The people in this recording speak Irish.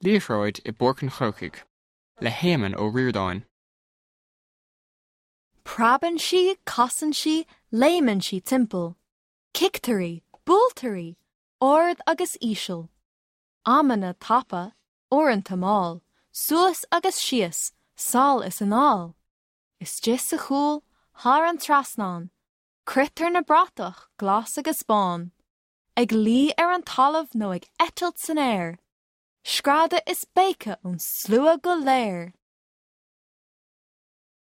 Liathróid i bPáirc an Chrócaigh le hÉamonn Ó Ríordáin. Preabann sí, casann sí, léimeann sí timpeall. Cictear í, buailtear í, ard agus íseal. Amanna tapa, uaireanta mall, suas agus síos, sall is anall. Istigh sa chúl, thar an trasnán, croitear na bratach glas agus bán. Ag luí ar an talamh nó ag eitilt san aer. Screadadh is béiceadh ón slua go léir.